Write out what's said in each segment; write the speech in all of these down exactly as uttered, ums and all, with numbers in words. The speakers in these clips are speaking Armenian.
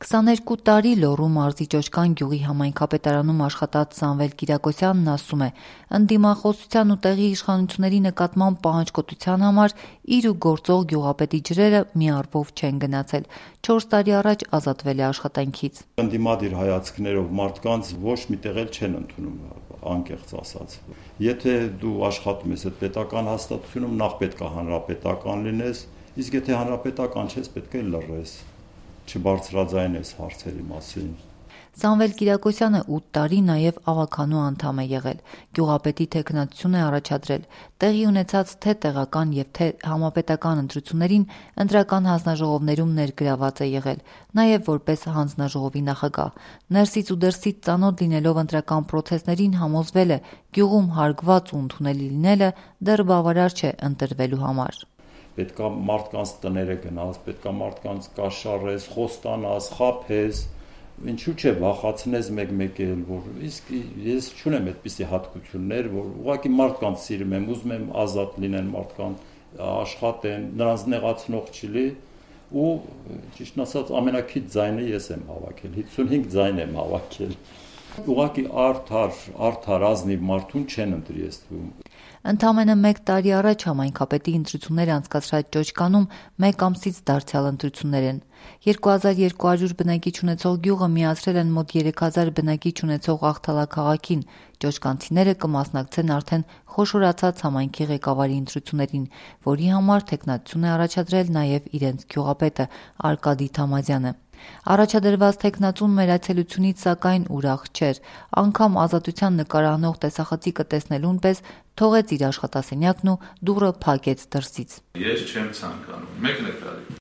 քսաներկու տարի Լոռու մարզի Ճոճկան գյուղի համայնքապետարանում աշխատած Սամվել Կիրակոսյանն ասում է, ընդդիմախոսության ու տեղի իշխանությունների նկատմամբ պահանջկոտության համար իր ու գործող գյուղապետի ջրերը մի առվով չեն գնացել, չորս տարի առաջ ազատվել է աշխատանքից։ Ընդդիմադիր հայացքներով մարդկանց ոչ մի տեղ էլ չեն ընդունում, անկեղծ ասած։ Եթե դու աշխատում ես այդ պետական հաստատությունում, նախ պետք է հանրապետական լինես, իսկ եթե հանրապետական չես, պետք է լռես, չբարձրաձայնես հարցերի մասին։ Սամվել Կիրակոսյանը ութ տարի նաև ավականու անդամ է եղել, գյուղապետի թեկնածություն է առաջադրել, տեղի ունեցած թե տեղական և թե համապետական ընտրություններին ընտրական հանձնաժողովներում ներգրաված է եղել, նաև որպես հանձնաժողովի նախագահ։ Ներսից ու դրսից ծանոթ լինելով ընտրական պրոցեսներին համոզվել է, գյուղում հարգված ու ընդունելի լինելը դեռ բավարար չէ ընտրվելու համար։ Պետք է մարդկանց տները գնաս, պետք է մարդկանց կաշառես, խոստանաս, խաբես, ինչու՞ չէ վախացնես մեկ-մեկ էլ, որ իսկ ես չունեմ այդպիսի հատկություններ, որ ուղղակի մարդկանց սիրում եմ, ուզում եմ ազատ լինեն մարդկանց, աշխատեն, նրանց նեղացնող չլի ու ճիշտ ասած ամենակիչ ձայնը ես եմ հավաքել, հիսունհինգ ձայն եմ հավաքել։ Ուղղակի արդար, արդար ազնիվ մարդուն չեն ընտրի ես թվում։ Ընդամենը մեկ տարի առաջ համայնքապետի ընտրություններ անցկացրած Ճոճկանում մեկ ամսից դարձյալ ընտրություններ են։ երկու հազար երկու հարյուր բնակիչ ունեցող գյուղը միացրել են մոտ երեք հազար բնակիչ ունեցող Աղթալա քաղաքին։ Ճոճկանցիները կմասնակցեն արդեն խոշորացած համայնքի ղեկավարի ընտրություններին, որի համար թեկնածություն է առաջադրել նաև իրենց գյուղապետը Արկադի Թամազյանը։ Առաջադրված թեկնածուն մեր այցելությունից սակայն ուրախ չէր, անգամ ազատության նկարահանող տեսախցիկը տեսնելուն պես թողեց իր աշխատասենյակն ու դուռը փակեց դրսից։ Ես չեմ ցանկանում, մեկն է կարելի։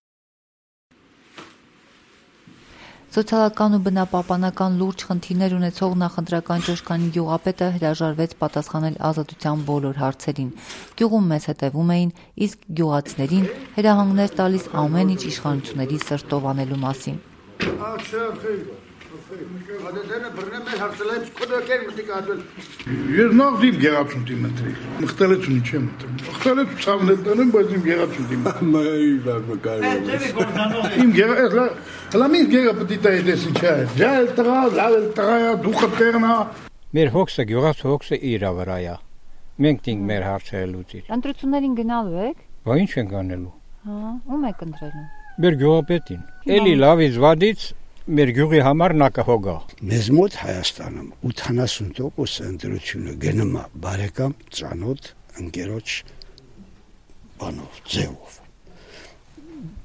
Սոցիալական ու բնապահպանական լուրջ խնդիրներ ունեցող նախընտրական Ճոճկանի գյուղապետը հրաժարվեց պատասխանել ազատության բոլոր հարցերին։ Գյուղում մեզ հետևում էին, իսկ գյուղացիներին հրահանգներ տալիս ամեն ինչ իշխանությունների սրտով անելու մասին։ Ես նախ դիմ գեղացուն դիմ ընտրել, մխտելեցունի չեմ ընտրում, մխտելեցու ծավնել տնեմ, բայց իմ գեղացուն դիմ ընտրում։ Հլա միս գեղը պտի տայի դեսի չէ, ժայլ տղա, լավել տղայա, դուխը տերնա։ Մեր հոգսը, գյուղաց հոգսը իրա վրայա, մենք դինք մեր հարցերը լուծիլ։ Ընտրություններին գնալու եք։ Բա ինչ ենք անելու։ Հա, ում եք ընտրելու։ Մեր գյուղապետին, էլի լավից վադից մեր գյուղի համար նա կհոգա։ Մեզ մոտ Հայաստանում ութանասուն տոկոս ընտրությունը գնում է բարեկամ ծանոթ ընկերոջ բանով, ձևով։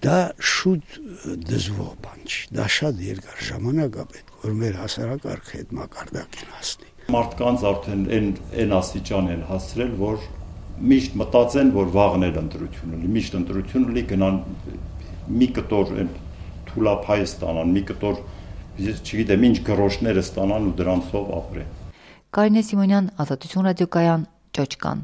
Դա շուտ դժվար բան չի, դա շատ երկար ժամանակ է պետք, որ մեր հասարակարգը այդ մակարդակին հասնի։ Մարդկանց արդեն այն այն աստիճան են հասցրել, որ միշտ մտածեն, որ վաղն էլ ընտրություն ունի, միշտ ընտրություն ունի, գնան մի կտոր այն թուլափայ ստանան, մի կտոր, ես չգիտեմ, ինչ գրոշները ստանան ու դրանցով ապրեն։ Կարինե Սիմոնյան, Ազատություն ռադիոկայան, Ճոճկան։